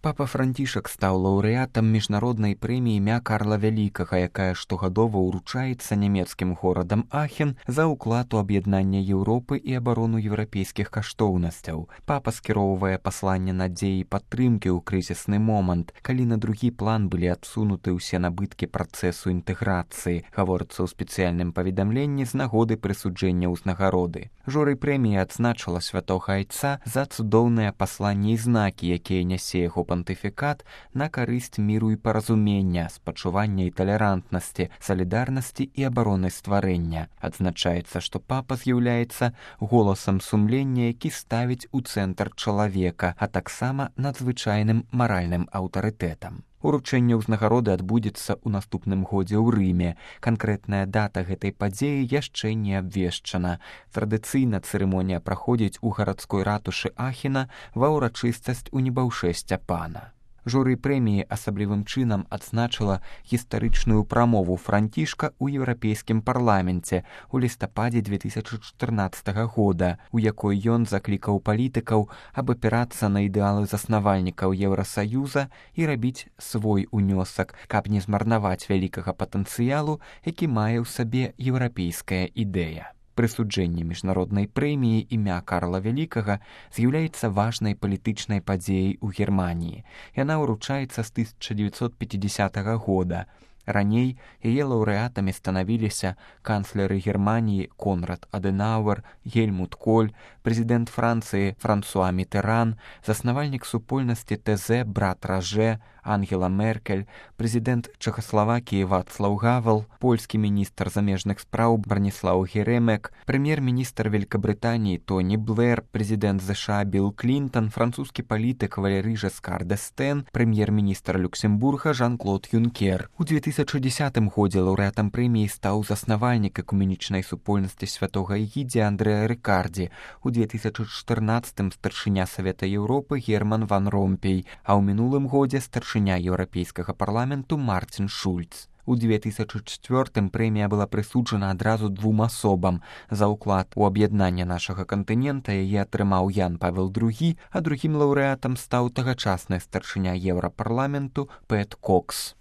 Папа Францішак стаў лаўрэатам міжнароднай прэміі імя Карла Вялікага, якая штогадова ўручаецца нямецкім горадам Ахен за ўклад у аб'яднанне Еўропы і абарону еўрапейскіх каштоўнасцяў. Папа скіроўвае пасланне надзеі і падтрымкі ў крызісны момант, калі на другі план былі адсунуты ўсе набыткі працэсу інтэграцыі, гаворыцца ў спецыяльным паведамленні з нагоды прысуджэння ўзнагароды. Журы прэміі адзначыла святога айца за цудоўныя пасланні і знакі, якія нясе яго пантыфікат на карысць міру і паразумення, спачування і талерантнасці, салідарнасці і абароны стварэння. Адзначаецца, што папа з'яўляецца голасам сумлення, які ставіць у цэнтр чалавека, а таксама надзвычайным маральным аўтарытэтам. Уручэнне ўзнагароды адбудзецца ў наступным годзе ў Рыме. Канкрэтная дата гэтай падзеі яшчэ не абвешчана. Традыцыйна цырымонія праходзіць у гарадской ратушы Ахена ва ўрачыстасць у небаўшэсця пана. Журы прэміі асаблівым чынам адзначыла гістарычную прамову Францішка ў еўрапейскім парламенце ў лістападзе 2014 года, у якой ён заклікаў палітыкаў абапірацца на ідэалы заснавальнікаў Еўрасаюза і рабіць свой унёсак, каб не змарнаваць вялікага патэнцыялу, які мае ў сабе еўрапейская ідэя. Прысуджэнне міжнароднай прэміі імя Карла Вялікага з'яўляецца важнай палітычнай падзеяй у Германіі. Яна ўручаецца з 1950 года. Раней яе лаўрэатамі станавіліся канцлеры Германіі Конрад Адэнауэр, Гельмут Коль, прэзідэнт Францыі Франсуа Мітеран, заснавальнік супольнасці ТЗ брат Раже, Ангела Меркель, прэзідэнт Чэхаславакіі Вацлаў Гавел, польскі міністр замежных спраў Браніслаў Геремек, прэм'ер-міністр Великабрытаніі Тоні Блэр, прэзідэнт ЗША Білл Клінтон, французскі палітык Валерый Жескар д'Эстэн, прэм'ер-міністр Люксембурга Жан-Клод Юнкер. У 2010 годзе лаўрэатам прэміі стаў заснавальнік экуменічнай супольнасці святога Эгідзія Андрэа Рыкардзі, у 2014 старшыня Савета Еўропы Герман ван Ромпей, а ў мінулым годзе старшыня Еўрапейскага парламенту Мартин Шульц. У 2004 прэмія была прысуджана адразу двум асобам. За ўклад у аб'яднанне нашага кантынента яе атрымаў Ян Павел II, а другім лаўрэатам стаў тагачасны старшыня Еўрапарламенту Пэт Кокс.